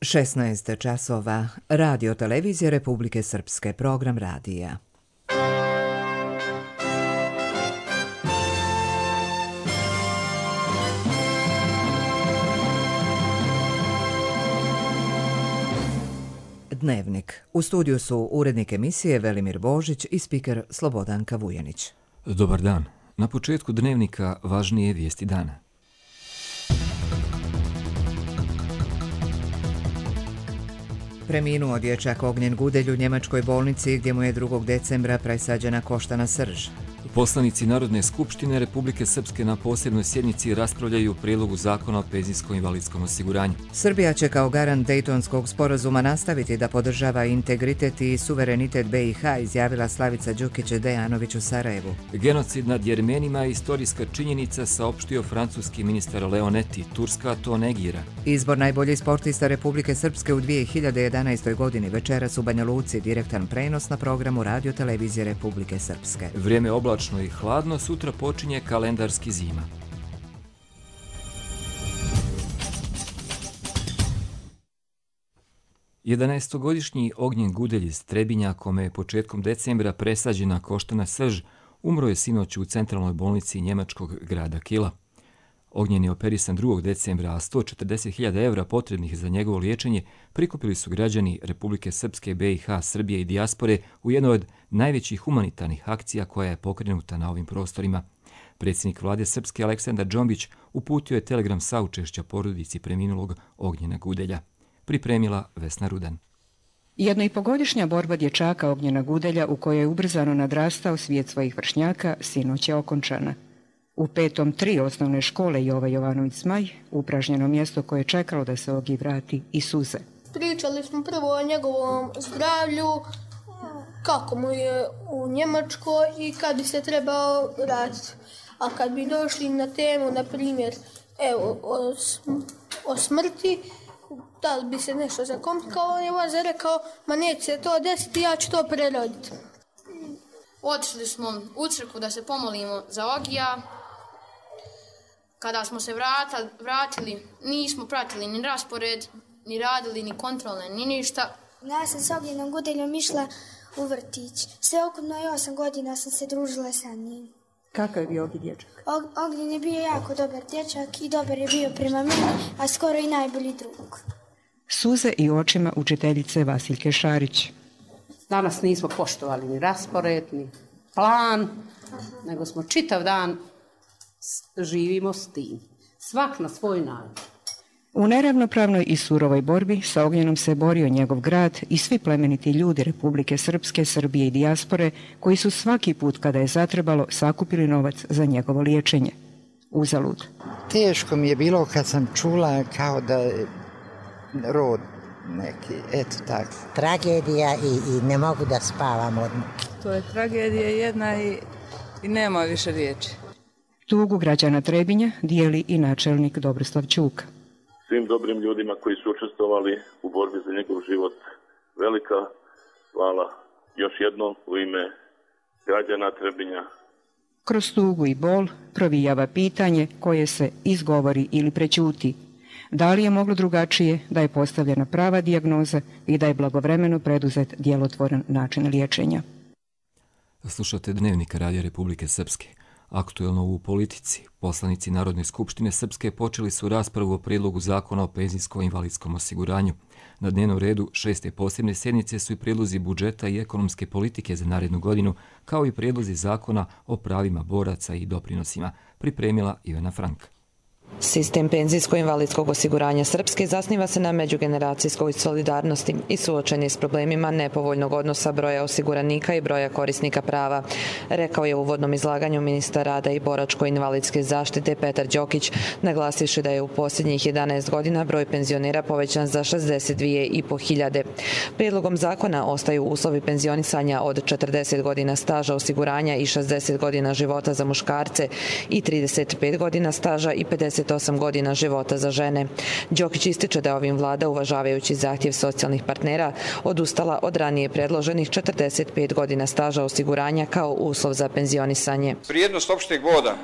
16 časova. Radio televizije Republike Srpske. Program radija. Dnevnik. U studiju su urednik emisije Velimir Božić i spiker Slobodanka Vujanić. Dobar dan. Na početku dnevnika važnije vijesti dana. Preminuo dječak Ognjen Gudelj u njemačkoj bolnici gdje mu je 2. decembra presađena koštana srž. Poslanici Narodne skupštine Republike Srpske na posebnoj sjednici raspravljaju o prijedlogu zakona o penzijsko-invalidskom osiguranju. Srbija će kao garant Dejtonskog sporazuma nastaviti da podržava integritet i suverenitet BiH, izjavila Slavica Đukić-Dejanović u Sarajevu. Genocid nad Jermenima je istorijska činjenica, saopštio francuski ministar Leonetti. Turska to negira. Izbor najboljih sportista Republike Srpske u 2011. godini večeras u Banja Luci, direktan prenos na programu Radio televizije Republike Srpske. Vrijeme oblačno i hladno, sutra počinje kalendarski zima. Jedanaestogodišnji Ognjen Gudelj iz Trebinja, kome je početkom decembra presađena koštana srž, umro je sinoć u centralnoj bolnici njemačkog grada Kila. Ognjen je operisan 2. decembra, a 140.000 evra potrebnih za njegovo liječenje prikupili su građani Republike Srpske, BiH, Srbije i dijaspore u jednoj od najvećih humanitarnih akcija koja je pokrenuta na ovim prostorima. Predsjednik vlade Srpske Aleksandar Džombić uputio je telegram saučešća porodici preminulog Ognjena Gudelja. Pripremila Vesna Rudan. 1,5-godišnja borba dječaka Ognjena Gudelja, u kojoj je ubrzano nadrastao svijet svojih vršnjaka, sinoć je okončana. U 5. 3 osnovne škole Jova Jovanović Zmaj, upražnjeno mjesto koje je čekalo da se Ogi vrati, i suze. Pričali smo prvo o njegovom zdravlju, kako mu je u Njemačkoj i kad bi se trebao vratiti. A kad bi došli na temu, na primjer, o smrti, da li bi se nešto zakomplikovalo, on je vaza rekao, ma neće se to desiti, ja ću to preroditi. Otišli smo u crkvu da se pomolimo za Ogija. Kada smo se vratili, nismo pratili ni raspored, ni radili, ni kontrolne, ni ništa. Ja sam s Ognjenom Gudeljom išla u vrtić. Sve ukupno 8 godina sam se družila sa njim. Kakav je bio Ogi dječak? Ognjen je bio jako dobar dječak i dobar je bio prema meni, a skoro i najbolji drug. Suze i očima učiteljice Vasiljke Šarić. Danas nismo poštovali ni raspored, ni plan, nego smo čitav dan živimo s tim. Svak na svoj način. U neravnopravnoj i surovoj borbi sa Ognjenom se borio njegov grad i svi plemeniti ljudi Republike Srpske, Srbije i dijaspore, koji su svaki put kada je zatrebalo sakupili novac za njegovo liječenje. Uzalud. Teško mi je bilo kad sam čula kao da je rod neki, eto tako. Tragedija i ne mogu da spavam odmah. To je tragedija jedna i nema više riječi. Tugu građana Trebinja dijeli i načelnik Dobroslav Ćuka. Svim dobrim ljudima koji su učestvovali u borbi za njegov život, velika hvala još jednom u ime građana Trebinja. Kroz tugu i bol provijava pitanje koje se izgovori ili prećuti. Da li je moglo drugačije, da je postavljena prava dijagnoza i da je blagovremeno preduzet djelotvoran način liječenja? Slušate Dnevnik Radija Republike Srpske. Aktuelno u politici. Poslanici Narodne skupštine Srpske počeli su raspravu o prijedlogu zakona o penzijsko-invalidskom osiguranju. Na dnevnom redu 6. posebne sjednice su i prijedlozi budžeta i ekonomske politike za narednu godinu, kao i prijedlozi zakona o pravima boraca i doprinosima, pripremila Ivana Frank. Sistem penzijsko-invalidskog osiguranja Srpske zasniva se na međugeneracijskoj solidarnosti i suočen je s problemima nepovoljnog odnosa broja osiguranika i broja korisnika prava, rekao je u uvodnom izlaganju ministar rada i boračko-invalidske zaštite Petar Đokić, naglasivši da je u posljednjih 11 godina broj penzionera povećan za 62.500. Prijedlogom zakona ostaju uslovi penzionisanja od 40 godina staža osiguranja i 60 godina života za muškarce i 35 godina staža i 50 38 godina života za žene. Đokić ističe da ovim vlada, uvažavajući zahtjev socijalnih partnera, odustala od ranije predloženih 45 godina staža osiguranja kao uslov za penzionisanje. Vrijednost opšteg boda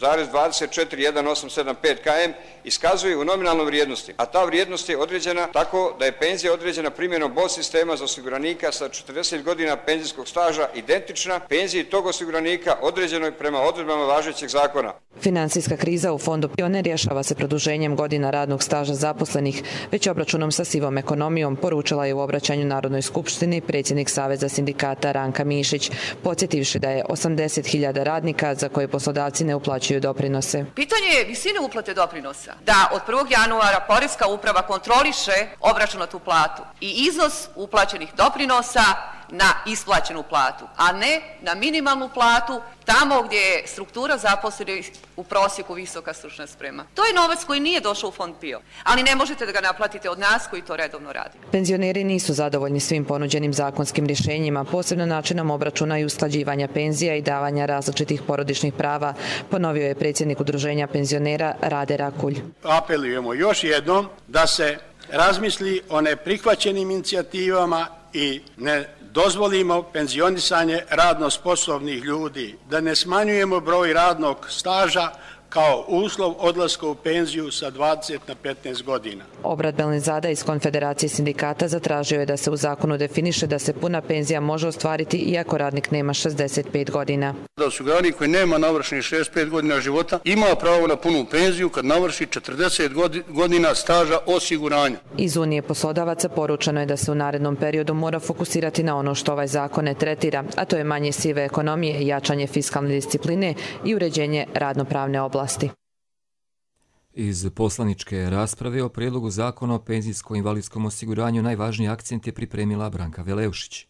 9,24185 km iskazuje u nominalnoj vrijednosti, a ta vrijednost je određena tako da je penzija određena primjenom bod sistema za osiguranika sa 40 godina penzijskog staža identična penziji tog osiguranika određenoj prema odredbama važećeg zakona. Finansijska kriza u fondu PIO ne rješava se produženjem godina radnog staža zaposlenih, već obračunom sa sivom ekonomijom, poručila je u obraćanju Narodnoj skupštini predsjednik Saveza sindikata Ranka Mišić, podsjetivši da je 80.000 radnika za koje poslodavci ne uplaćuju doprinose. Pitanje je visine uplate doprinosa. Da od 1. januara Poreska uprava kontroliše obračunatu platu i iznos uplaćenih doprinosa na isplaćenu platu, a ne na minimalnu platu tamo gdje je struktura zaposlenih u prosjeku visoka stručna sprema. To je novac koji nije došao u fond PIO, ali ne možete da ga naplatite od nas koji to redovno radimo. Penzioneri nisu zadovoljni svim ponuđenim zakonskim rješenjima, posebno načinom obračuna i usklađivanja penzija i davanja različitih porodičnih prava, ponovio je predsjednik Udruženja penzionera Rade Rakulj. Apelujemo još jednom da se razmisli o neprihvaćenim inicijativama i ne dozvolimo penzionisanje radno sposobnih ljudi, da ne smanjujemo broj radnog staža kao uslov odlaska u penziju sa 20 na 15 godina. Obrat Belnezada iz Konfederacije sindikata zatražio je da se u zakonu definiše da se puna penzija može ostvariti iako radnik nema 65 godina. Da osiguranik koji nema navršenih 65 godina života ima pravo na punu penziju kad navrši 40 godina staža osiguranja. Iz Unije poslodavaca poručeno je da se u narednom periodu mora fokusirati na ono što ovaj zakon ne tretira, a to je manje sive ekonomije, jačanje fiskalne discipline i uređenje radnopravne oblasti. Iz poslaničke rasprave o prijedlogu zakona o penzijsko-invalidskom osiguranju najvažniji akcent je pripremila Branka Veleušić.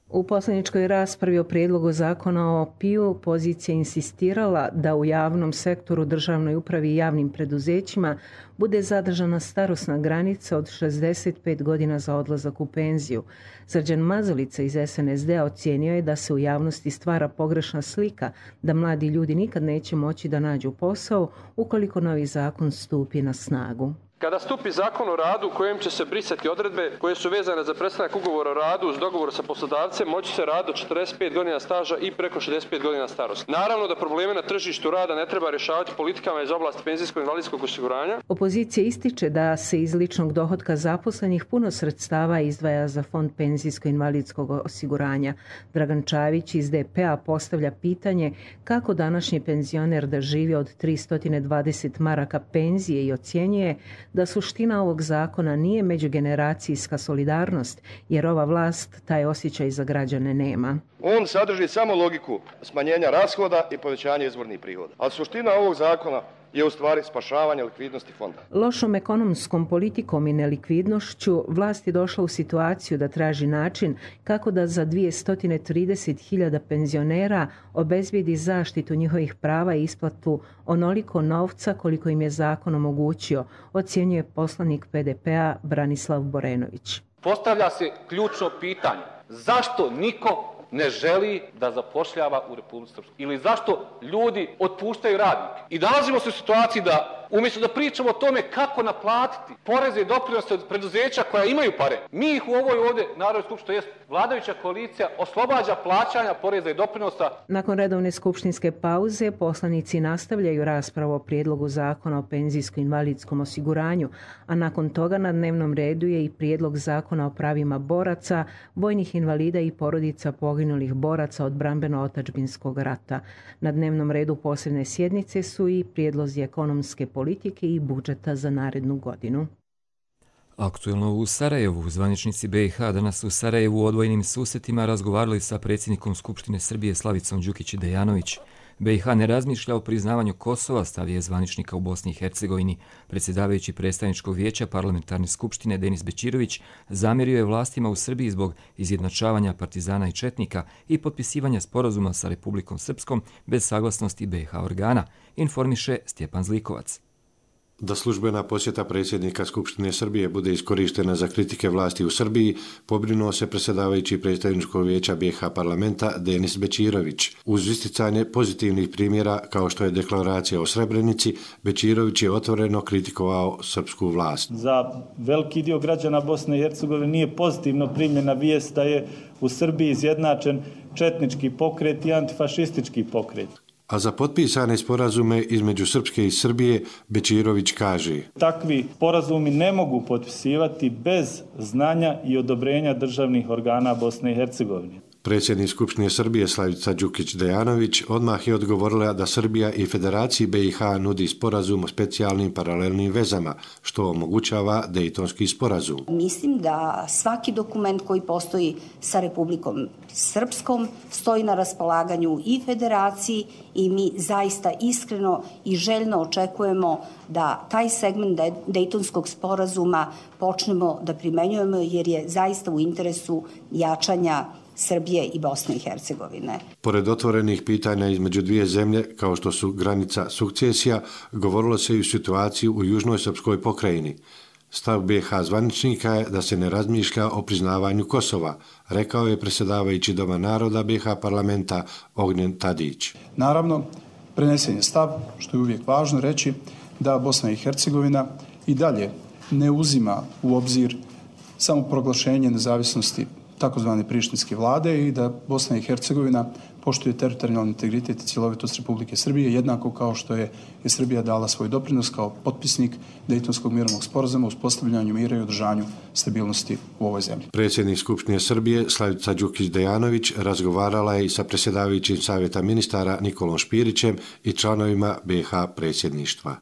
U poslaničkoj raspravi o prijedlogu zakona o PIO pozicija insistirala da u javnom sektoru, državnoj upravi i javnim preduzećima bude zadržana starosna granica od 65 godina za odlazak u penziju. Srđan Mazalica iz SNSD-a ocijenio je da se u javnosti stvara pogrešna slika da mladi ljudi nikad neće moći da nađu posao ukoliko novi zakon stupi na snagu. Kada stupi zakon o radu u kojem će se brisati odredbe koje su vezane za prestanak ugovora o radu uz dogovor sa poslodavcem, moći se rad do 45 godina staža i preko 65 godina starosti. Naravno da probleme na tržištu rada ne treba rješavati politikama iz oblasti penzijsko-invalidskog osiguranja. Opozicija ističe da se iz ličnog dohotka zaposlenih puno sredstava izdvaja za fond penzijsko-invalidskog osiguranja. Dragan Čavić iz DP-a postavlja pitanje kako današnji penzioner da živi od 320 maraka penzije i ocjenjuje da suština ovog zakona nije međugeneracijska solidarnost, jer ova vlast taj osjećaj za građane nema. On sadrži samo logiku smanjenja rashoda i povećanja izvornih prihoda. A suština ovog zakona je u stvari spašavanje likvidnosti fonda. Lošom ekonomskom politikom i nelikvidnošću vlast je došla u situaciju da traži način kako da za 230.000 penzionera obezbijedi zaštitu njihovih prava i isplatu onoliko novca koliko im je zakon omogućio, ocjenjuje poslanik PDP-a Branislav Borenović. Postavlja se ključno pitanje: zašto niko ne želi da zapošljava u Republici Srpskoj? Ili zašto ljudi otpuštaju radnike? I nalazimo se u situaciji da umjesto da pričamo o tome kako naplatiti poreze i doprinose od preduzeća koja imaju pare, mi ih u ovoj ovdje Narodnoj skupštini, to jest vladajuća koalicija, oslobađa plaćanja poreza i doprinosa. Nakon redovne skupštinske pauze poslanici nastavljaju raspravu o prijedlogu zakona o penzijsko-invalidskom osiguranju, a nakon toga na dnevnom redu je i prijedlog zakona o pravima boraca, vojnih invalida i porodica poginulih boraca od odbrambeno-otadžbinskog rata. Na dnevnom redu posebne sjednice su i prijedlozi ekonomske politike i budžeta za narednu godinu. Aktuelno u Sarajevu. Zvaničnici BiH danas u Sarajevu u odvojenim susretima razgovarali sa predsjednikom Skupštine Srbije Slavicom Đukić-Dejanović. BiH ne razmišlja o priznavanju Kosova, stav je zvaničnika u Bosni i Hercegovini. Predsjedavajući predstavničkog vijeća parlamentarne skupštine Denis Bećirović zamjerio je vlastima u Srbiji zbog izjednačavanja partizana i četnika i potpisivanja sporazuma sa Republikom Srpskom bez saglasnosti BiH organa, informiše Stjepan Zlikovac. Da službena posjeta predsjednika Skupštine Srbije bude iskorištena za kritike vlasti u Srbiji, pobrinuo se predsjedavajući predstavničkog vijeća BiH parlamenta Denis Bećirović. Uz isticanje pozitivnih primjera kao što je deklaracija o Srebrenici, Bećirović je otvoreno kritikovao srpsku vlast. Za veliki dio građana Bosne i Hercegovine nije pozitivno primljena vijest da je u Srbiji izjednačen četnički pokret i antifašistički pokret. A za potpisane sporazume između Srpske i Srbije Bećirović kaže: Takvi sporazumi ne mogu potpisivati bez znanja i odobrenja državnih organa Bosne i Hercegovine. Predsjednik Skupštine Srbije Slavica Đukić-Dejanović odmah je odgovorila da Srbija i Federaciji BiH nudi sporazum o specijalnim paralelnim vezama, što omogućava Dejtonski sporazum. Mislim da svaki dokument koji postoji sa Republikom Srpskom stoji na raspolaganju i Federaciji i mi zaista iskreno i željno očekujemo da taj segment Dejtonskog sporazuma počnemo da primenjujemo jer je zaista u interesu jačanja Srbije i Bosne i Hercegovine. Pored otvorenih pitanja između dvije zemlje, kao što su granica sukcesija, govorilo se i o situaciji u južnoj srpskoj pokrajini. Stav BiH zvaničnika je da se ne razmišlja o priznavanju Kosova, rekao je predsjedavajući Doma naroda BiH parlamenta Ognjen Tadić. Naravno, prenesen je stav, što je uvijek važno reći, da Bosna i Hercegovina i dalje ne uzima u obzir samo proglašenje nezavisnosti takozvane prištinske vlade i da Bosna i Hercegovina poštuje teritorijalni integritet i cjelovitost Republike Srbije, jednako kao što je Srbija dala svoj doprinos kao potpisnik Dejtonskog mirovnog sporazuma u uspostavljanju mira i održanju stabilnosti u ovoj zemlji. Predsjednik Skupštine Srbije Slavica Đukić-Dejanović razgovarala je i sa predsjedavajućim Savjeta ministara Nikolom Špirićem i članovima BiH predsjedništva.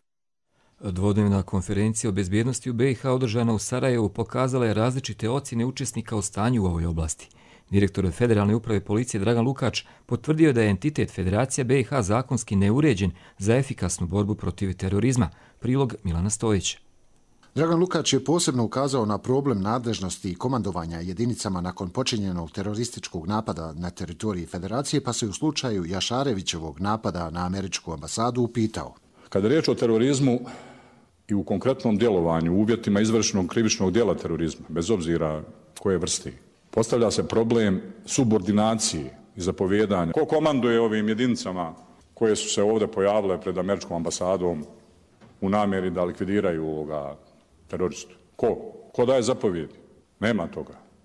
Dvodnevna konferencija o bezbjednosti u BiH održana u Sarajevu pokazala je različite ocjene učesnika o stanju u ovoj oblasti. Direktor Federalne uprave policije Dragan Lukač potvrdio da je entitet Federacija BiH zakonski neuređen za efikasnu borbu protiv terorizma. Prilog Milana Stojić. Dragan Lukač je posebno ukazao na problem nadležnosti i komandovanja jedinicama nakon počinjenog terorističkog napada na teritoriji Federacije, pa se u slučaju Jašarevićevog napada na američku ambasadu upitao: Kada je riječ o terorizmu i u konkretnom djelovanju u uvjetima izvršenog krivičnog djela terorizma, bez obzira koje vrste, postavlja se problem subordinacije i zapovjedanja. Ko komanduje ovim jedinicama koje su se ovdje pojavile pred američkom ambasadom u namjeri da likvidiraju ovoga teroristu? Ko daje zapovjedi?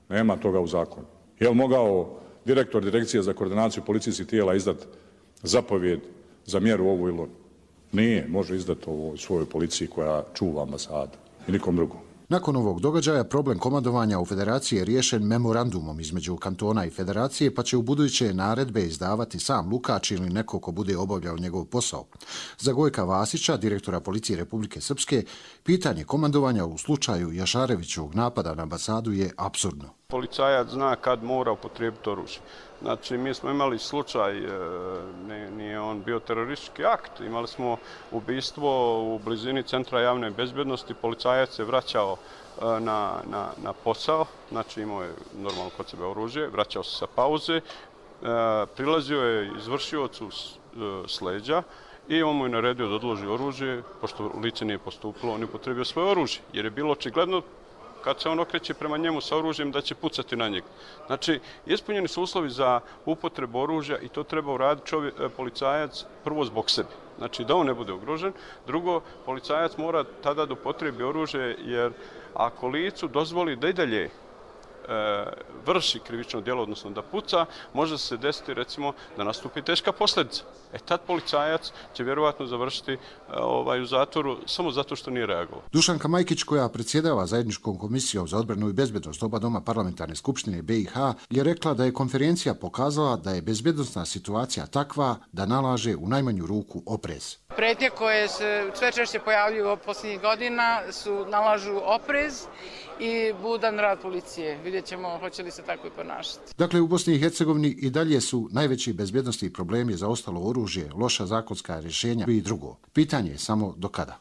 Nema toga u zakonu. Je li mogao direktor Direkcije za koordinaciju policijskih tijela izdati zapovjed za mjeru ovu ili onu? Nije, može izdati ovo svojoj policiji koja čuva ambasadu i nikom drugom. Nakon ovog događaja problem komandovanja u Federaciji je riješen memorandumom između kantona i Federacije, pa će u buduće naredbe izdavati sam Lukač ili neko ko bude obavljao njegov posao. Za Gojka Vasića, direktora policije Republike Srpske, pitanje komandovanja u slučaju Jašarevićevog napada na ambasadu je apsurdno. Policajac zna kad mora upotrijebiti oružje. Znači, mi smo imali slučaj, nije on bio teroristički akt, imali smo ubistvo u blizini Centra javne bezbjednosti, policajac se vraćao na posao, znači imao je normalno kod sebe oružje, vraćao se sa pauze, prilazio je izvršiocu s leđa i on mu je naredio da odloži oružje, pošto lice nije postupilo, on je upotrijebio svoje oružje, jer je bilo očigledno kad se on okreće prema njemu sa oružjem da će pucati na njega. Znači, ispunjeni su uslovi za upotrebu oružja i to treba uraditi policajac prvo zbog sebe. Znači, da on ne bude ugrožen. Drugo, policajac mora tada da upotrebi oružje jer ako licu dozvoli da i dalje vrši krivično djelo, odnosno da puca, može se desiti recimo da nastupi teška posljedica. Tad policajac će vjerovatno završiti u zatvoru samo zato što nije reagovao. Dušanka Majkić, koja predsjedava zajedničkom komisijom za odbranu i bezbjednost oba doma parlamentarne skupštine BiH, je rekla da je konferencija pokazala da je bezbjednosna situacija takva da nalaže u najmanju ruku oprez. Prijetnje koje se sve češće pojavljuju posljednjih godina nalažu oprez i budan rad policije. Vidjet ćemo hoće li se tako i ponašati. Dakle, u Bosni i Hercegovini i dalje su najveći bezbjednosni problemi zaostalo oružje, loša zakonska rješenja i drugo. Pitanje je samo do kada.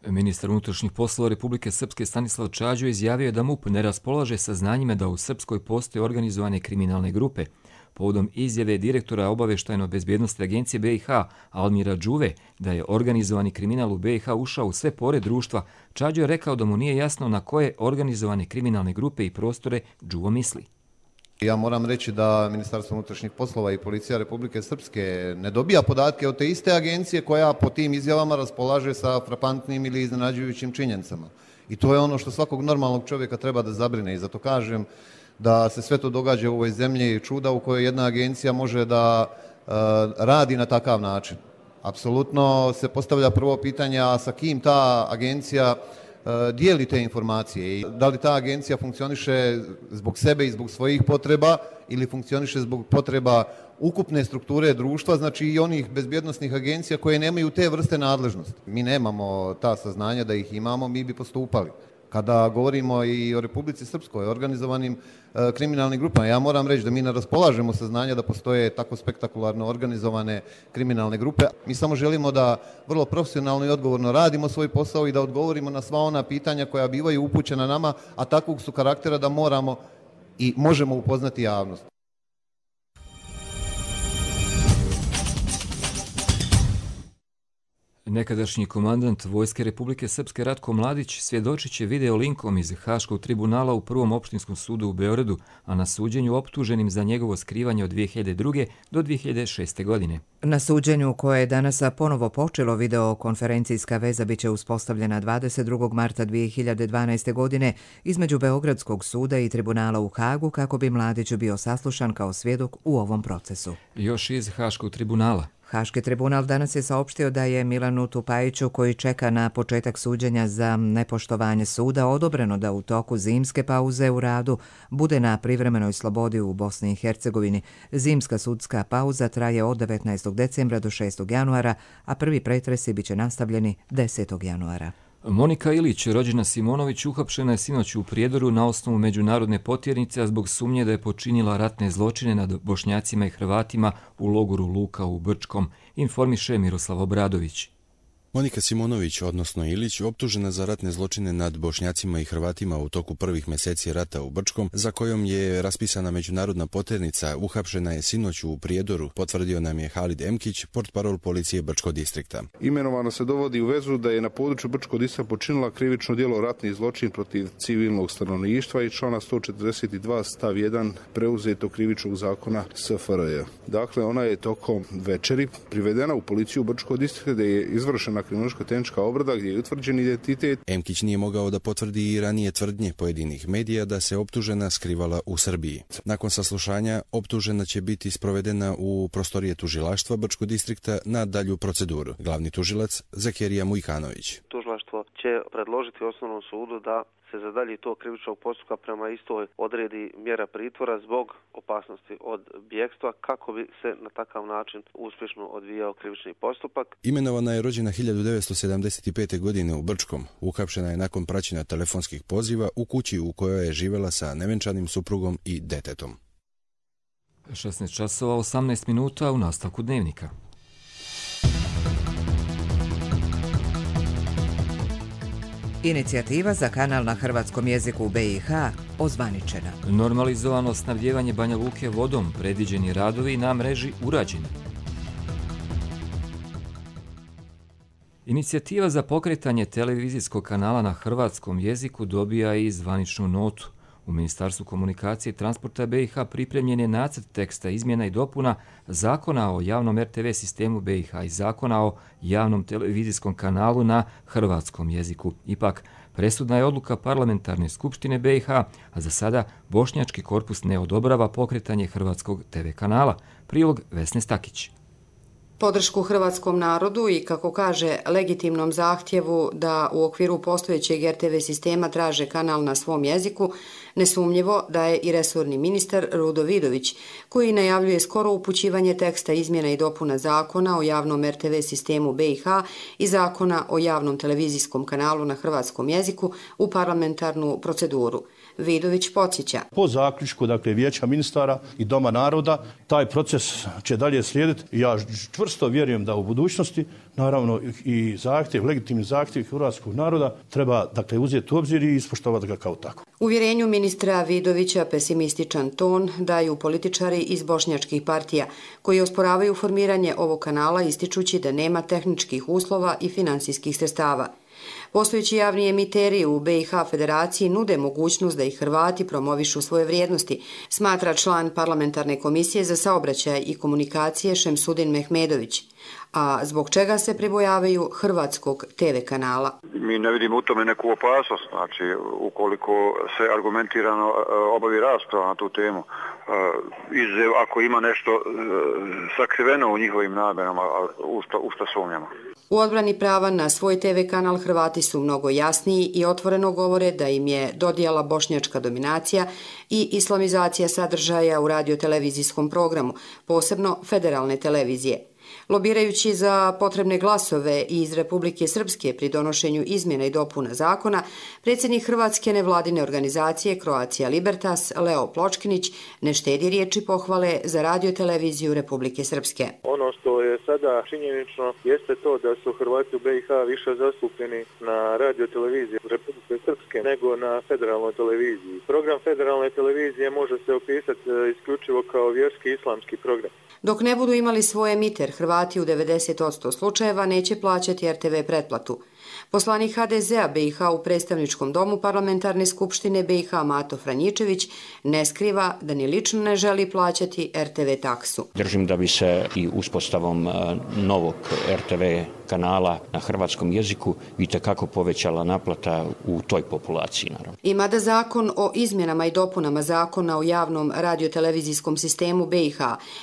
Ministar unutrašnjih poslova Republike Srpske Stanislav Čađo izjavio da MUP ne raspolaže saznanjima da u Srpskoj postoje organizovane kriminalne grupe. povodom izjave direktora obavještajno-bezbjednosti agencije BiH Almira Đuve da je organizovani kriminal u BiH ušao u sve pore društva, Čađo je rekao da mu nije jasno na koje organizovane kriminalne grupe i prostore Đuvo misli. Ja moram reći da Ministarstvo unutrašnjih poslova i Policija Republike Srpske ne dobija podatke od te iste agencije koja po tim izjavama raspolaže sa frapantnim ili iznenađujućim činjenicama. I to je ono što svakog normalnog čovjeka treba da zabrine i zato kažem da se sve to događa u ovoj zemlji čuda u kojoj jedna agencija može da radi na takav način. Apsolutno se postavlja prvo pitanje, a sa kim ta agencija dijeli te informacije i da li ta agencija funkcioniše zbog sebe i zbog svojih potreba ili funkcioniše zbog potreba ukupne strukture društva, znači i onih bezbjednosnih agencija koje nemaju te vrste nadležnosti. Mi nemamo ta saznanja, da ih imamo, mi bi postupali. Kada govorimo i o Republici Srpskoj, organizovanim kriminalnim grupama, ja moram reći da mi ne raspolažemo saznanja da postoje tako spektakularno organizovane kriminalne grupe. Mi samo želimo da vrlo profesionalno i odgovorno radimo svoj posao i da odgovorimo na sva ona pitanja koja bivaju upućena nama, a takvog su karaktera da moramo i možemo upoznati javnost. Nekadašnji komandant Vojske Republike Srpske Ratko Mladić svjedočit će video linkom iz Haškog tribunala u Prvom opštinskom sudu u Beogradu, a na suđenju optuženim za njegovo skrivanje od 2002. do 2006. godine. Na suđenju koje je danas ponovo počelo, videokonferencijska veza biće uspostavljena 22. marta 2012. godine između Beogradskog suda i tribunala u Hagu kako bi Mladić bio saslušan kao svjedok u ovom procesu. Još iz Haškog tribunala. Haški tribunal danas je saopštio da je Milanu Tupajiću, koji čeka na početak suđenja za nepoštovanje suda, odobreno da u toku zimske pauze u radu bude na privremenoj slobodi u Bosni i Hercegovini. Zimska sudska pauza traje od 19. decembra do 6. januara, a prvi pretresi biće nastavljeni 10. januara. Monika Ilić, rođena Simonović, uhapšena je sinoć u Prijedoru na osnovu međunarodne potjernice, a zbog sumnje da je počinila ratne zločine nad Bošnjacima i Hrvatima u logoru Luka u Brčkom, informiše Miroslav Obradović. Monika Simonović, odnosno Ilić, optužena za ratne zločine nad Bošnjacima i Hrvatima u toku prvih mjeseci rata u Brčkom, za kojom je raspisana međunarodna potjernica, uhapšena je sinoć u Prijedoru, potvrdio nam je Halid Emkić, portparol policije Brčkog distrikta. Imenovano se dovodi u vezu da je na području Brčkog distrikta počinila krivično djelo ratni zločin protiv civilnog stanovništva i člana 142 stav 1 preuzetog krivičnog zakona SFRJ. Dakle, ona je tokom večeri privedena u policiju Brčkog distrikta gdje je izvršena kriminalističko-tehnička obrada gdje je utvrđen identitet. Emkić nije mogao da potvrdi i ranije tvrdnje pojedinih medija da se optužena skrivala u Srbiji. Nakon saslušanja, optužena će biti sprovedena u prostorije tužilaštva Brčkog distrikta na dalju proceduru. Glavni tužilac Zakerija Mujkanović. Tužilaštvo će predložiti osnovnom sudu da se za dalje tog krivičnog postupka prema istoj odredi mjera pritvora zbog opasnosti od bjegstva kako bi se na takav način uspješno odvijao krivični postupak. Imenovana je rođena 1975. godine u Brčkom. Uhapšena je nakon praćenja telefonskih poziva u kući u kojoj je živjela sa nevenčanim suprugom i detetom. 16 časova 18 minuta u nastavku dnevnika. Inicijativa za kanal na hrvatskom jeziku u BiH ozvaničena. Normalizovano snabdijevanje Banja Luke vodom, predviđeni radovi na mreži urađeni. Inicijativa za pokretanje televizijskog kanala na hrvatskom jeziku dobija i zvaničnu notu. U Ministarstvu komunikacije i transporta BiH pripremljen je nacrt teksta izmjena i dopuna Zakona o javnom RTV sistemu BiH i Zakona o javnom televizijskom kanalu na hrvatskom jeziku. Ipak, presudna je odluka Parlamentarne skupštine BiH, a za sada Bošnjački korpus ne odobrava pokretanje hrvatskog TV kanala. Prilog Vesne Stakić. Podršku hrvatskom narodu i, kako kaže, legitimnom zahtjevu da u okviru postojećeg RTV sistema traže kanal na svom jeziku, nesumnjivo da je i resorni ministar Rudo Vidović, koji najavljuje skoro upućivanje teksta izmjena i dopuna Zakona o javnom RTV sistemu BiH i Zakona o javnom televizijskom kanalu na hrvatskom jeziku u parlamentarnu proceduru. Vidović podsjeća. Po zaključku, dakle, Vijeća ministara i Doma naroda, taj proces će dalje slijediti. Ja čvrsto vjerujem da u budućnosti, naravno, i zahtjev, legitimni zahtjev hrvatskog naroda treba, dakle, uzeti u obzir i ispoštovati ga kao tako. Uvjerenju ministra Vidovića pesimističan ton daju političari iz bošnjačkih partija, koji osporavaju formiranje ovog kanala ističući da nema tehničkih uslova i finansijskih sredstava. Postojeći javni emiteri u BiH federaciji nude mogućnost da i Hrvati promovišu svoje vrijednosti, smatra član parlamentarne komisije za saobraćaj i komunikacije Šemsudin Mehmedović. A zbog čega se pribojavaju hrvatskog TV kanala? Mi ne vidimo u tome neku opasnost, znači ukoliko se argumentirano obavi rasprava na tu temu, ako ima nešto sakriveno u njihovim namjerama, u što sumnjamo. U odbrani prava na svoj TV kanal Hrvati su mnogo jasniji i otvoreno govore da im je dodijala bošnjačka dominacija i islamizacija sadržaja u radiotelevizijskom programu, posebno federalne televizije. Lobirajući za potrebne glasove iz Republike Srpske pri donošenju izmjena i dopuna zakona, predsjednik Hrvatske nevladine organizacije Croatia Libertas Leo Pločkinić ne štedi riječi pohvale za radioteleviziju Republike Srpske. Ono što je sada činjenično jeste to da su Hrvati u BiH više zastupljeni na radioteleviziji Republike Srpske nego na federalnoj televiziji. Program federalne televizije može se opisati isključivo kao vjerski islamski program. Dok ne budu imali svoj emiter, Hrvati u 90% slučajeva neće plaćati RTV pretplatu. Poslanik HDZ-a BiH u predstavničkom domu parlamentarne skupštine BiH Mato Franjičević ne skriva da ni lično ne želi plaćati RTV taksu. Držim da bi se i uspostavom novog RTV kanala na hrvatskom jeziku itekako povećala naplata u toj populaciji. Naravno. I mada zakon o izmjenama i dopunama zakona o javnom radiotelevizijskom sistemu BiH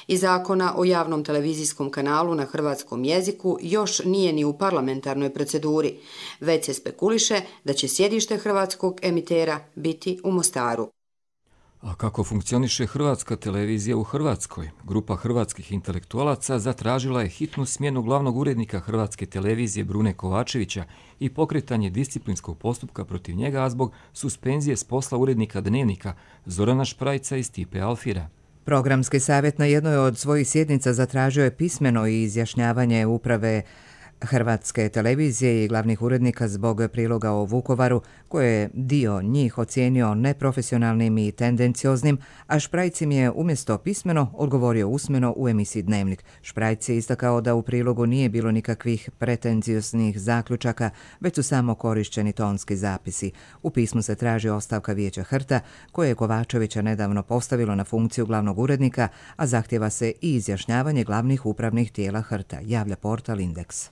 i zakona o javnom televizijskom kanalu na hrvatskom jeziku još nije ni u parlamentarnoj proceduri, već se spekuliše da će sjedište hrvatskog emitera biti u Mostaru. A kako funkcioniše hrvatska televizija u Hrvatskoj? Grupa hrvatskih intelektualaca zatražila je hitnu smjenu glavnog urednika hrvatske televizije Brune Kovačevića i pokretanje disciplinskog postupka protiv njega, a zbog suspenzije s posla urednika Dnevnika Zorana Šprajca i Stipe Alfira. Programski savjet na jednoj od svojih sjednica zatražio je pismeno izjašnjavanje uprave Hrvatske televizije i glavnih urednika zbog priloga o Vukovaru, koje je dio njih ocijenio neprofesionalnim i tendencioznim, a Šprajc im je umjesto pismeno odgovorio usmeno u emisiji Dnevnik. Šprajc je istakao da u prilogu nije bilo nikakvih pretenzioznih zaključaka, već su samo korišćeni tonski zapisi. U pismu se traži ostavka Vijeća HRT-a, koje je Kovačevića nedavno postavilo na funkciju glavnog urednika, a zahtjeva se i izjašnjavanje glavnih upravnih tijela HRT-a, javlja portal Indeks.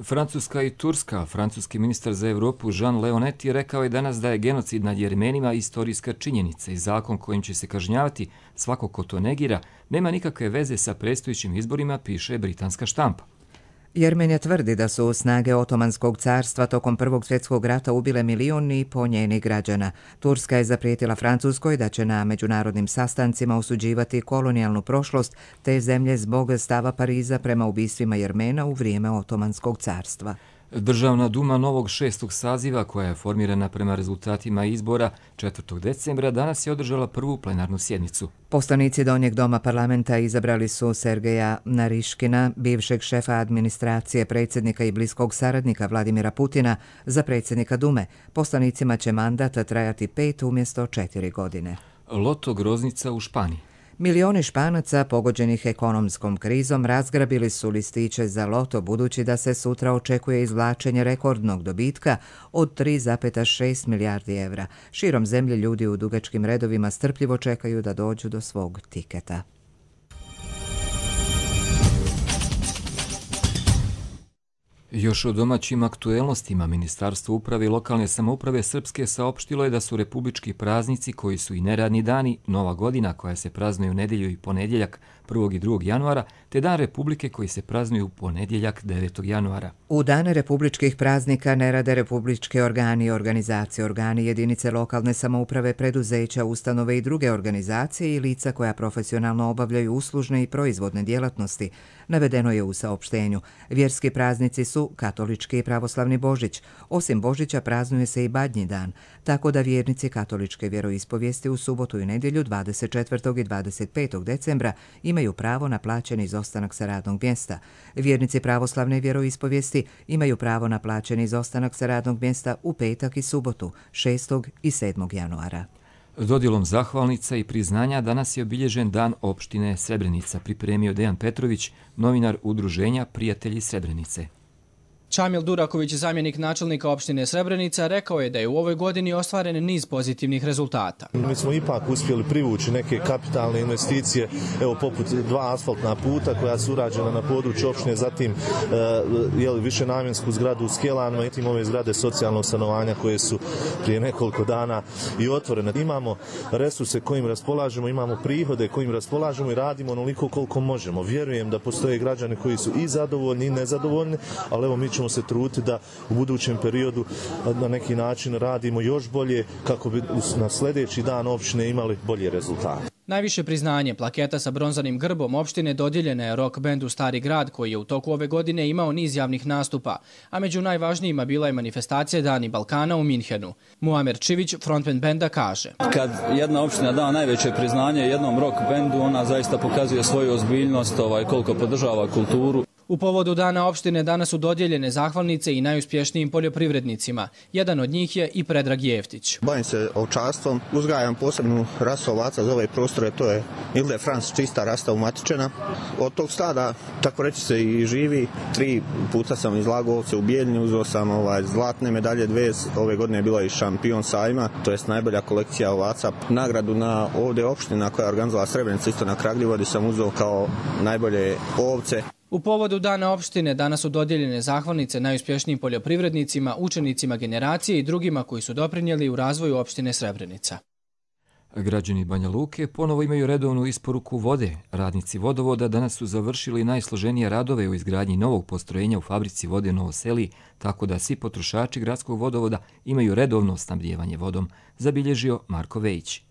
Francuska i Turska. Francuski ministar za Europu Jean Leonetti rekao je danas da je genocid nad Jermenima istorijska činjenica i zakon kojim će se kažnjavati svako ko to negira nema nikakve veze sa predstojećim izborima, piše britanska štampa. Jermenija tvrdi da su snage Otomanskog carstva tokom Prvog svjetskog rata ubile 1,5 milijuna njenih građana. Turska je zaprijetila Francuskoj da će na međunarodnim sastancima osuđivati kolonijalnu prošlost te zemlje zbog stava Pariza prema ubistvima Jermena u vrijeme Otomanskog carstva. Državna duma novog 6. saziva, koja je formirana prema rezultatima izbora 4. decembra, danas je održala prvu plenarnu sjednicu. Poslanici Donjeg doma parlamenta izabrali su Sergeja Nariškina, bivšeg šefa administracije, predsjednika i bliskog saradnika Vladimira Putina, za predsjednika Dume. Poslanicima će mandat trajati 5 umjesto 4 godine. Loto groznica u Španiji. Milioni Španaca pogođenih ekonomskom krizom razgrabili su listiće za loto, budući da se sutra očekuje izvlačenje rekordnog dobitka od 3,6 milijardi evra. Širom zemlje ljudi u dugačkim redovima strpljivo čekaju da dođu do svog tiketa. Još o domaćim aktuelnostima Ministarstvo uprave i lokalne samouprave Srpske saopštilo je da su republički praznici koji su i neradni dani, Nova godina koja se praznuje u nedjelju i ponedjeljak 1. i 2. januara, te Dan Republike koji se praznuje u ponedjeljak 9. januara. U dane republičkih praznika ne rade republičke organi i organizacije, organi jedinice lokalne samouprave, preduzeća, ustanove i druge organizacije i lica koja profesionalno obavljaju uslužne i proizvodne djelatnosti, navedeno je u saopštenju. Vjerski praznici su su katolički i pravoslavni Božić. Osim Božića praznuje se i Badnji dan, tako da vjernici katoličke vjeroispovijesti u subotu i nedjelju 24. i 25. decembra imaju pravo na plaćeni izostanak sa radnog mjesta. Vjernici pravoslavne vjeroispovijesti imaju pravo na plaćeni izostanak sa radnog mjesta u petak i subotu 6. i 7. januara. Dodjelom zahvalnica i priznanja danas je obilježen Dan opštine Srebrenica, pripremio Dejan Petrović, novinar udruženja Prijatelji Srebrenice. Čamil Duraković, zamjenik načelnika opštine Srebrenica, rekao je da je u ovoj godini ostvaren niz pozitivnih rezultata. Mi smo ipak uspjeli privući neke kapitalne investicije, evo poput 2 asfaltna puta koja su urađena na području opštine, zatim višenamjensku zgradu u Skjelanima i ove zgrade socijalnog stanovanja koje su prije nekoliko dana i otvorene. Imamo resurse kojim raspolažemo, imamo prihode kojim raspolažemo i radimo onoliko koliko možemo. Vjerujem da postoje građani koji su i zadovoljni i nezadovoljni, ali evo mi ćemo se truditi da u budućem periodu na neki način radimo još bolje kako bi na sljedeći dan opštine imali bolje rezultate. Najviše priznanje, plaketa sa bronzanim grbom opštine dodijeljena je rock bendu Stari grad koji je u toku ove godine imao niz javnih nastupa, a među najvažnijima bila je manifestacija Dani Balkana u Minhenu. Muamer Čivić, frontman benda, kaže: Kad jedna opština da najveće priznanje jednom rock bendu, ona zaista pokazuje svoju ozbiljnost, koliko podržava kulturu. U povodu Dana opštine danas su dodijeljene zahvalnice i najuspješnijim poljoprivrednicima. Jedan od njih je i Predrag Jeftić. Bavim se ovčarstvom, uzgajam posebnu rasu ovaca za ove prostore, to je Ilde Frans, čista rasta umatičena. Od tog stada, tako reći, se i živi. 3 puta sam izlagao ovce u Bijeljni, uzeo sam zlatne medalje 2, ove godine je bila i šampion sajma, to jest najbolja kolekcija ovaca. Nagradu na ovdje opština koja je organizovala Srebrenica, isto na Kragljevodi, sam uzeo kao najbolje ovce. U povodu Dana opštine danas su dodijeljene zahvalnice najuspješnijim poljoprivrednicima, učenicima generacije i drugima koji su doprinijeli u razvoju opštine Srebrenica. Građani Banja Luke ponovo imaju redovnu isporuku vode. Radnici vodovoda danas su završili najsloženije radove u izgradnji novog postrojenja u fabrici vode Novo Seli, tako da svi potrošači gradskog vodovoda imaju redovno snabdijevanje vodom, zabilježio Marko Vejić.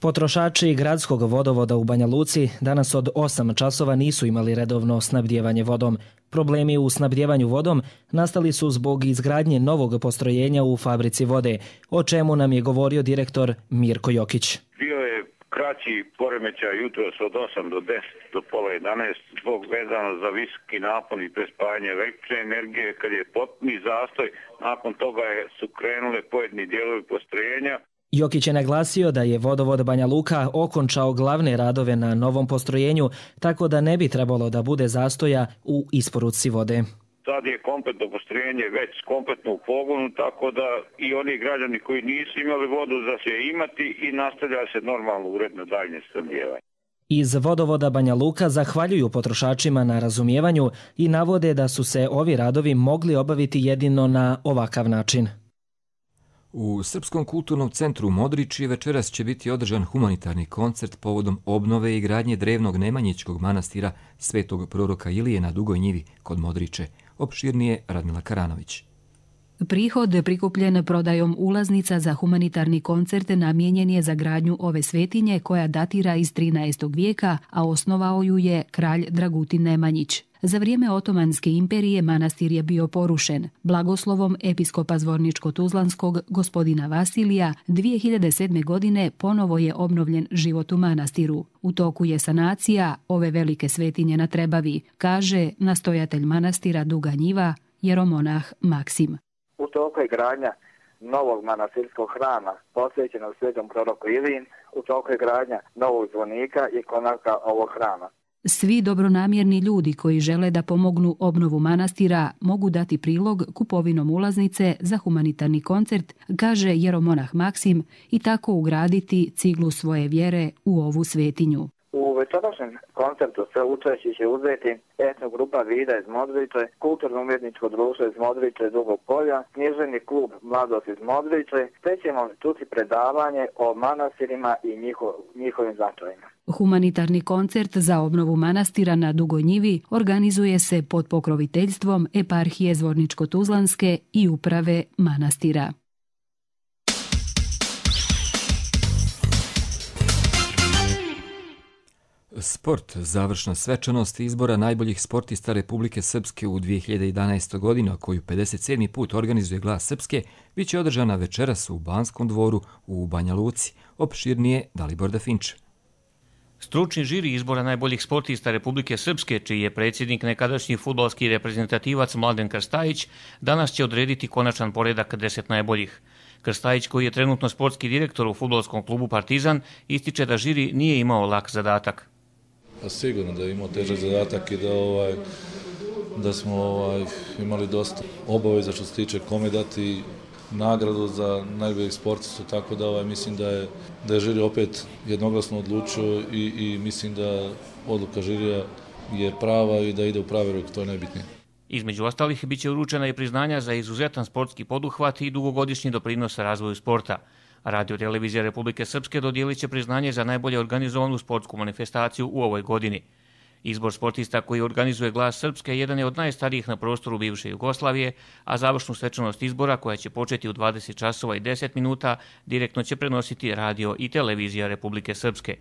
Potrošači gradskog vodovoda u Banja Luci danas od 8 časova nisu imali redovno snabdijevanje vodom. Problemi u snabdijevanju vodom nastali su zbog izgradnje novog postrojenja u fabrici vode, o čemu nam je govorio direktor Mirko Jokić. Bio je kraći poremećaj jutros od 8 do 10 do pola 11 zbog vezano za visoki napon i prespajanje električne energije. Kad je potpuni zastoj, nakon toga su krenule pojedini dijelovi postrojenja. Jokić je naglasio da je vodovod Banja Luka okončao glavne radove na novom postrojenju, tako da ne bi trebalo da bude zastoja u isporuci vode. Sad je kompletno postrojenje već kompletno u pogonu, tako da i oni građani koji nisu imali vodu da će imati i nastavlja se normalno uredno daljnje snabdijevanje. Iz vodovoda Banja Luka zahvaljuju potrošačima na razumijevanju i navode da su se ovi radovi mogli obaviti jedino na ovakav način. U Srpskom kulturnom centru Modriči večeras će biti održan humanitarni koncert povodom obnove i gradnje drevnog Nemanjićkog manastira Svetog proroka Ilije na Dugoj njivi kod Modriče. Opširnije Radmila Karanović. Prihod prikupljen prodajom ulaznica za humanitarni koncert namijenjen je za gradnju ove svetinje koja datira iz 13. vijeka, a osnovao ju je kralj Dragutin Nemanjić. Za vrijeme Otomanske imperije manastir je bio porušen. Blagoslovom episkopa Zvorničko-Tuzlanskog gospodina Vasilija 2007. godine ponovo je obnovljen život u manastiru. U toku je sanacija ove velike svetinje na Trebavi, kaže nastojatelj manastira Duga njiva jeromonah Maksim. U toku je gradnja novog manastirskog hrama posvećenog svetom proroku Iliji, u toku je gradnja novog zvonika i konaca ovog hrama. Svi dobronamjerni ljudi koji žele da pomognu obnovu manastira mogu dati prilog kupovinom ulaznice za humanitarni koncert, kaže jeromonah Maksim, i tako ugraditi ciglu svoje vjere u ovu svetinju. U večerašnjem koncertu sve učešće će uzeti etnogrupa Vida iz Modriče, kulturno-umjetničko društvo iz Modriče Dugog polja, književni klub Mladost iz Modriče, te ćemo čuti predavanje o manastirima i njihovim značajima. Humanitarni koncert za obnovu manastira na Dugoj njivi organizuje se pod pokroviteljstvom eparhije Zvorničko-Tuzlanske i uprave manastira. Sport, završna svečanost izbora najboljih sportista Republike Srpske u 2011. godinu, koju 57. put organizuje Glas Srpske, bit će održana večeras u Banskom dvoru u Banja Luci. Opširnije Dalibor Dafinč. Stručni žiri izbora najboljih sportista Republike Srpske, čiji je predsjednik nekadašnji fudbalski reprezentativac Mladen Krstajić, danas će odrediti konačan poredak 10 najboljih. Krstajić, koji je trenutno sportski direktor u fudbalskom klubu Partizan, ističe da žiri nije imao lak zadatak. Sigurno da je imao težak zadatak i da smo imali dosta obaveza što se tiče kome dati nagradu za najboljeg sportistu, tako da mislim da je žiri opet jednoglasno odlučio i mislim da odluka žirija je prava i da ide u pravi ruk, to je najbitnije. Između ostalih biće uručena i priznanja za izuzetan sportski poduhvat i dugogodišnji doprinos razvoju sporta. Radio-televizija Republike Srpske dodijelit će priznanje za najbolje organizovanu sportsku manifestaciju u ovoj godini. Izbor sportista koji organizuje Glas Srpske jedan je od najstarijih na prostoru bivše Jugoslavije, a završnu svečanost izbora, koja će početi u 20 časova i 10 minuta, direktno će prenositi radio i televizija Republike Srpske.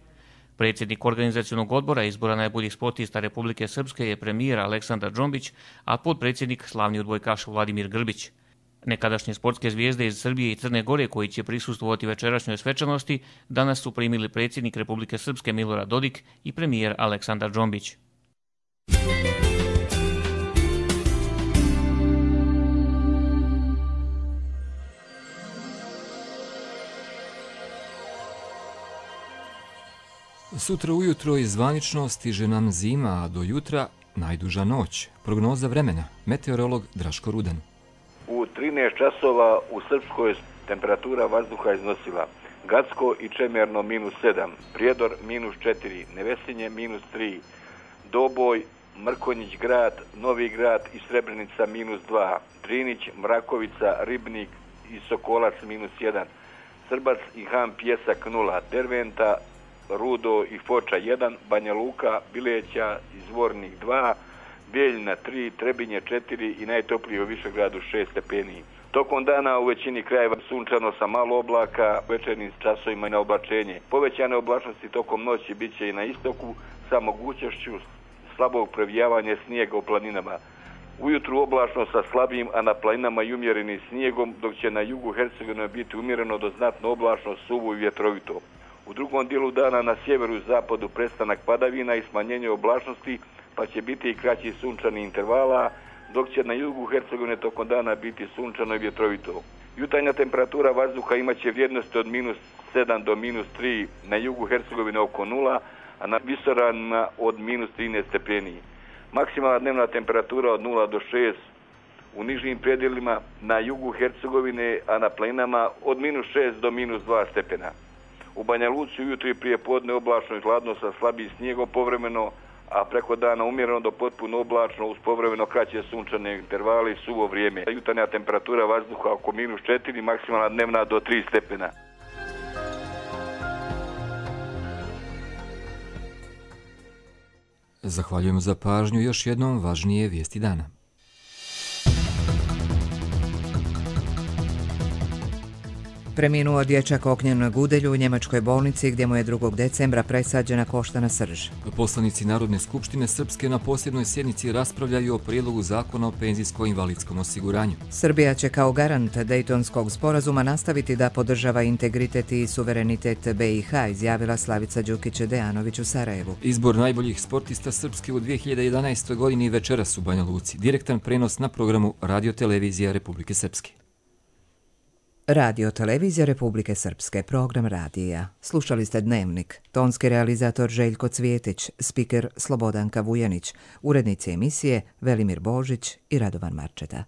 Predsjednik organizacionog odbora izbora najboljih sportista Republike Srpske je premijer Aleksandar Džombić, a potpredsjednik slavni odbojkaš Vladimir Grbić. Nekadašnje sportske zvijezde iz Srbije i Crne Gore, koji će prisustvovati večerašnjoj svečanosti, danas su primili predsjednik Republike Srpske Milorad Dodik i premijer Aleksandar Džombić. Sutra ujutro iz zvanično stiže nam zima, a do jutra najduža noć. Prognoza vremena, meteorolog Draško Rudan. U 13 časova u Srpskoj temperatura vazduha iznosila Gacko i Čemerno -7, Prijedor -4, Nevesinje -3, Doboj, Mrkonjić grad, Novi grad i Srebrenica -2, Drinić, Mrakovica, Ribnik i Sokolac -1, Srbac i Han Pjesak 0, Derventa, Rudo i Foča 1, Banja Luka, Bileća i Zvornik 2, Bijeljina 3, Trebinje 4 i najtoplije u Višegradu 6 stepeni. Tokom dana u većini krajeva sunčano sa malo oblaka, večernjim časovima i na oblačenje. Povećane oblačnosti tokom noći bit će i na istoku sa mogućnošću slabog previjavanja snijega u planinama. Ujutru oblačno sa slabijim, a na planinama i umjerenim snijegom, dok će na jugu Hercegovine biti umjereno do znatno oblačno, suvo i vjetrovito. U drugom dijelu dana na sjeveru i zapadu prestanak padavina i smanjenje oblačnosti, pa će biti i kraći sunčani intervala, dok će na jugu Hercegovine tokom dana biti sunčano i vjetrovito. Jutarnja temperatura vazduha imaće vrijednosti od -7 do -3, na jugu Hercegovine oko 0, a na visoravnima od -13 stepeni. Maksimalna dnevna temperatura od 0 do 6 u nižim predjelima, na jugu Hercegovine, a na planinama od -6 do -2 stepena. U Banja Luci ujutro i prije podne oblačno i hladno sa slabijim snijegom povremeno, a preko dana umjereno do potpuno oblačno uz povremeno kraće sunčane intervale i suvo vrijeme. Jutarnja temperatura vazduha oko -4, maksimalna dnevna do 3 stepena. Zahvaljujemo za pažnju, još jednom važnije vijesti dana. Preminuo dječak Ognjen Gudelj u njemačkoj bolnici gdje mu je 2. decembra presađena koštana srž. Poslanici Narodne skupštine Srpske na posljednoj sjednici raspravljaju o prijedlogu zakona o penzijsko-invalidskom osiguranju. Srbija će kao garant Dejtonskog sporazuma nastaviti da podržava integritet i suverenitet BiH, izjavila Slavica Đukić-Dejanović u Sarajevu. Izbor najboljih sportista Srpske u 2011. godini večeras u Banja Luci. Direktan prenos na programu Radio-televizija Republike Srpske. Radio-televizija Republike Srpske, program radija. Slušali ste Dnevnik, tonski realizator Željko Cvjetić, spiker Slobodanka Vujanić, urednici emisije Velimir Božić i Radovan Marčeta.